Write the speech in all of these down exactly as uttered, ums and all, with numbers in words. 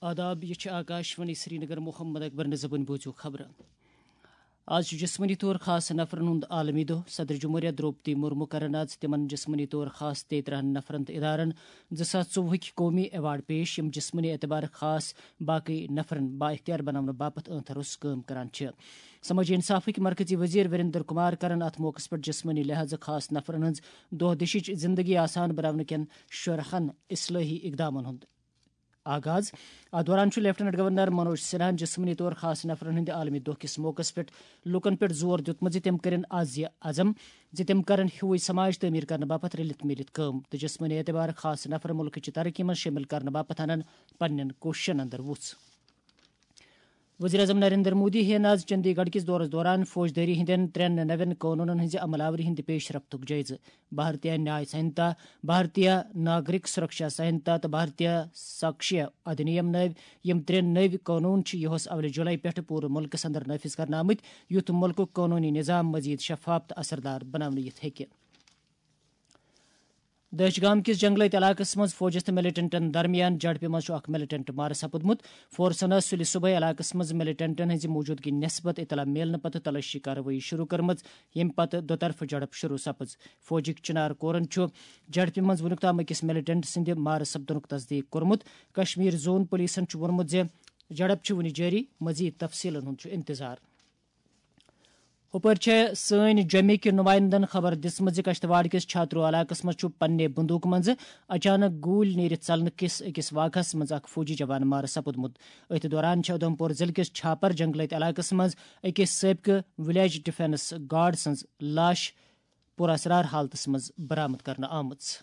آداب، یہِ چھِ آکاشوانی سرینگر۔ محمد اکبر نظبن بوٗزِو خبرٕ۔ آز چھُ جسمٲنی طور خاص نفرن ہُنٛد عالمی دۄہ۔ صدر جمہوریہ درٛوپدی مرمو کرن آز تِمن جسمٲنی طور خاص تیٚیہِ ترٕٛہن نفرن تہٕ ادارن زٕ ساس ژوٚوُہٕکۍ قومی ایوارڈ پیش، یِم جسمٲنی اعتبار خاص باقٕے نفرن بااختیار بناونہٕ باپتھ أنٛتھر اوس کٲم کران چھِ۔ سمٲجی انصافٕکۍ مرکزی وزیر وریندر کمار کرن اتھ موقعس پٮ۪ٹھ جسمٲنی لحاظہٕ خاص نفرن ہٕنٛز دۄہ دِشٕچ زندگی آسان بناونہٕ کٮ۪ن شُراہن اصلٲحی اقدامن ہُنٛد آغاز۔ اتھ دوران چھُ لیفٹیننٹ گورنر منوج سنہاہن جسمٲنی طور خاص نفرن ہٕنٛدِ عالمی دۄہ کِس موقعس پٮ۪ٹھ لوٗکن پٮ۪ٹھ زور دیُتمُت زِ تِم کٔرِن عزم، زِ تِم کرن ہیوٗے سماج تعمیٖر کرنہٕ باپتھ رٔلِتھ مِلِتھ کٲم تہٕ جسمٲنی اعتبار خاص نفر مُلکٕچہِ ترقی منٛز شٲمِل کرنہٕ باپتھ انن پننٮ۪ن کوٗششن اندر وُژھ۔ وزیر اعظم نریندر مودی ہٮ۪ن آز چندی گڑھ کِس دورس دوران فوجدٲری ہٕنٛدٮ۪ن ترٛٮ۪ن نوٮ۪ن قونوٗنن ہٕنٛزِ عمل آوری ہٕنٛدِ پیش رفتُک جٲیزٕ۔ بھارتیہ نیاے سنہتا، بھارتیہ ناگرک سرکشا سنہتا تہٕ بھارتیہ ساکشیہ ادھینیم نٲوۍ۔ یِم ترٛےٚ نٔوۍ قونوٗن چھِ یِہُس اولہِ جولائی پٮ۪ٹھٕ پوٗرٕ مُلکس اندر نافذ کرنہٕ آمٕتۍ، یُتھ مُلکُک قونوٗنی نظام مزید شفاف تہٕ اثردار بناونہٕ یِتھ ہیٚکہِ۔ دٲچھ گام کِس جنگلٲتۍ علاقس منٛز فوجس تہٕ ملیٹنٹن درمیان جھڑپہِ منٛز چھُ اکھ ملیٹنٹ مارٕ سپُدمُت۔ فورسن ٲس سُلہِ صبحٲے علاقس منٛز ملیٹنٹن ہٕنٛزِ موٗجوٗدگی نسبت اطلاع میلنہٕ پتہٕ تلٲشی کاروٲیی شروع کٔرمٕژ، ییٚمہِ پتہٕ دۄطرفہٕ جھڑپ شروع سپٕز۔ فوجٕکۍ چنار کورن چھُ جھڑپہِ منٛز وُنیُک تام أکِس ملیٹنٹ سٕنٛدِ مارٕ سپدنُک تصدیق کوٚرمُت۔ کشمیر زون پولیسن چھُ ووٚنمُت زِ جھڑپ چھِ وُنہِ جٲری، مزید تفصیلن ہُنٛد چھُ انتظار۔ ہُپٲرۍ چھےٚ سٲنۍ جوٚمہِ کہِ نُمایندن خبر دِژمٕژ زِ کشتواڑ کِس چھاترو علاقس منٛز چھُ پننہِ بندوٗقہٕ منٛزٕ اچانک گوٗلۍ نیٖرِتھ ژلنہٕ کِس أکِس واقعس منٛز اکھ فوجی جوان مارٕ سپُدمُت۔ أتھۍ دوران چھےٚ اُدھمپور ضلعہٕ کِس چھاپر جنگلٲتۍ علاقس منٛز أکِس سٲبقہٕ ولیج ڈیفنس گارڈ سٕنٛز لاش پُراسرار حالتس منٛز برآمد کرنہٕ آمٕژ۔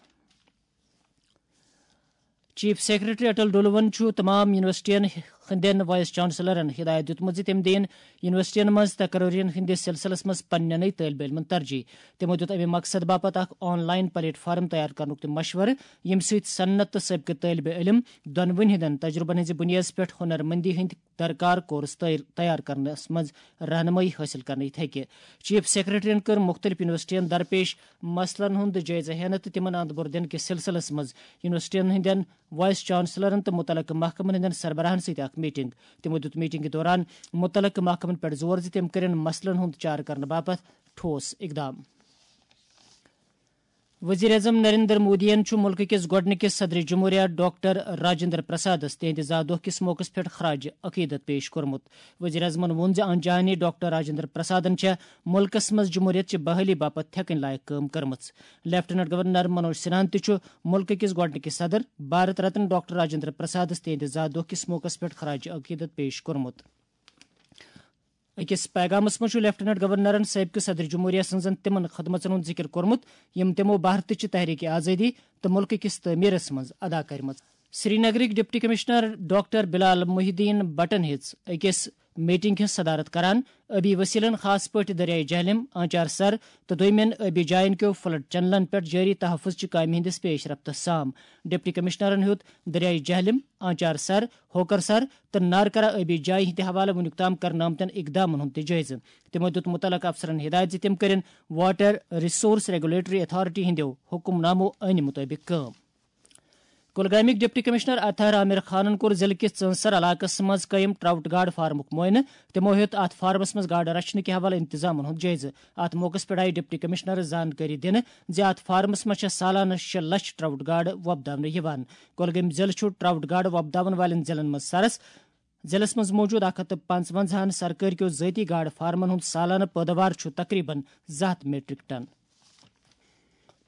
چیف سیکرٹری اٹل ڈولون چھُ تمام یونیورسٹین ہٕنٛدٮ۪ن وائس چانسلرن ہدایت دیُتمُت زِ تِم دِیِن یونیورسٹین منٛز تقرریَن ہٕنٛدِس سلسلس منٛز پننٮ۪نٕے طٲلبہِ علمن ترجیح۔ تِمو دیُت اَمہِ مقصد باپتھ اکھ آن لائن پلیٹ فارم تیار کرنُک تہِ مشورٕ، ییٚمہِ سۭتۍ صنعت تہٕ سٲبقہٕ طٲلبہِ علم دۄنوٕنی ہٕنٛدٮ۪ن تجربن ہٕنٛزِ بُنیادس پٮ۪ٹھ ہُنر مندی ہٕنٛدۍ درکار کورس تیار، تیار کرنس منٛز رہنمٲیی حٲصِل کرنہٕ یِتھ ہیٚکہِ۔ چیف سیکرٹریَن کٔر مُختٔلِف یونیورسٹیَن درپیش مسلن ہُنٛد جٲیزٕ ہینہٕ تہٕ تِمن اند بُر دِنہٕ کِس سلسلس منٛز یونیورسٹیَن ہٕنٛدٮ۪ن وائس چانسلرن تہٕ مُتعلقہٕ محکمن ہٕنٛدٮ۪ن سربراہن سۭتۍ اکھ میٹنگ۔ تِمو دیُت میٹنگہِ دوران مُتعلقہٕ محکمن پٮ۪ٹھ زور زِ تِم کٔرِن مسلن ہُنٛد چارٕ کرنہٕ باپتھ ٹھوس اقدام۔ وزیر اعظم نریندر مودیَن چھُ مُلکہٕ کِس گۄڈٕنِکِس صدر جمہوریہ ڈاکٹر راجندر پرسادَس تِہنٛدِ زا دۄہ کِس موقعس پٮ۪ٹھ خراج عقیدت پیش کوٚرمُت۔ وزیر اعظمَن ووٚن زِ انجانی ڈاکٹر راجندر پرسادَن چھےٚ مُلکَس منٛز جمہوریت چہِ بحالی باپتھ تھٮ۪کٕنۍ لایق کٲم کٔرمٕژ۔ لیفٹیننٹ گورنر منوج سنہاہَن تہِ چھُ مُلکہٕ کِس گۄڈٕنِکِس صدر بھارت رتن ڈاکٹر راجندر پرسادَس تِہنٛدِ زا دۄہ کِس موقعس پٮ۪ٹھ خراج عقیدت پیش کوٚرمُت۔ أکِس پیغامَس منٛز چھُ لیفٹیننٹ گورنرَن سٲبقہٕ صدر جمہوریہ سٕنٛزن تِمَن خدمژن ہُنٛد ذِکِر کوٚرمُت، یِم تِمو بھارتٕچہِ تحریک آزادی تہٕ مُلکہٕ کِس تعمیٖرَس منٛز ادا کٔرمٕژ۔ سرینگرٕکۍ ڈپٹی کمشنر ڈاکٹر بلال محی الدین بٹن ہیٚژ أکِس میٹنگ ہٕنٛز صدارت کران۔ ٲبی وسیلن، خاص پٲٹھۍ دریائے جہلم، آنچار سر تہٕ دوٚیمٮ۪ن ٲبی جاین کیو فلڈ چینلن پٮ۪ٹھ جٲری تحفظ چہِ کامہِ ہٕنٛدِس پیش رفتس سام۔ ڈپٹی کمشنرن ہیوٚت دریائے جہلم، آنچار سر، ہوکر سر تہٕ نارکرا ٲبی جایہِ ہٕنٛدِ حوالہٕ وُنیُک تام کرنہٕ آمتٮ۪ن اقدامن ہُنٛد تہِ جٲیزٕ۔ تِمو دیُت مُتعلقہٕ افسرن ہدایت زِ تِم کٔرِن واٹر ریسورس ریگولیٹری اتھارٹی ہٕنٛدیو حکم نامو عٲنہِ مُطٲبِق کٲم۔ کُلگامٕکۍ ڈپٹی کمشنر اطہر عامر خانن کوٚر ضلعہٕ کِس ژٲنسر علاقس منٛز قٲیِم ٹراؤٹ گاڈ فارمُک معائنہٕ۔ تِمو ہیوٚت اتھ فارمس منٛز گاڈٕ رچھنہٕ کہِ حوالہٕ انتظامن ہُنٛد جٲیزٕ۔ اتھ موقعس پٮ۪ٹھ آیہِ ڈپٹی کمشنرس زانکٲری دِنہٕ زِ اتھ فارمس منٛز چھےٚ سالانہٕ شےٚ لچھ ٹراؤٹ گاڈٕ وۄپداونہٕ یِوان۔ کۄلگٲمۍ ضلعہٕ چھُ ٹراؤٹ گاڈٕ وۄپداون والٮ۪ن ضلعن منٛز سرس۔ ضلعس منٛز موجود اکھ ہتھ تہٕ پانٛژونٛزاہن سرکٲرۍ کیو ذٲتی گاڈٕ فارمن ہُنٛد سالانہٕ پٲداوار چھُ تقریباً زٕ ہتھ میٹرک ٹن۔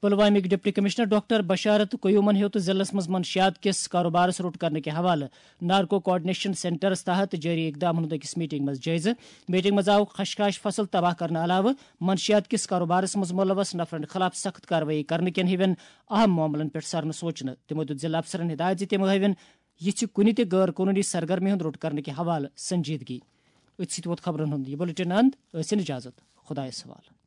پلوامٕکۍ ڈپٹی کمشنر ڈاکٹر بشارت قیومن ہیوٚت ضلعس منٛز منشیات کِس کاروبارس روٚٹ کرنہٕ کہِ حوالہٕ نارکو کوآرڈینیشن سینٹرس تحت جٲری اقدامن ہُنٛد أکِس میٹنگ منٛز جٲیزٕ۔ میٹنگ منٛز آو خشخاش فصل تباہ کرنہٕ علاوٕ منشیات کِس کاروبارس منٛز ملوث نفرن خلاف سخت کاروٲیی کرنہٕ کٮ۪ن ہِوٮ۪ن اہم معاملن پٮ۪ٹھ سرنہٕ سوچنہٕ۔ تِمو دیُت ضلعہٕ افسرن ہدایت زِ تِم ہٲوِن یِژھِ کُنہِ تہِ غٲر قونوٗنی سرگرمی ہُنٛد روٚٹ کرنہٕ کہِ حوالہٕ سنجیدگی۔ أتھۍ سۭتۍ ووت خبرن ہُنٛد یہِ بلیٹن اند۔ ٲسِن اجازت۔ خۄدایس حوالہٕ۔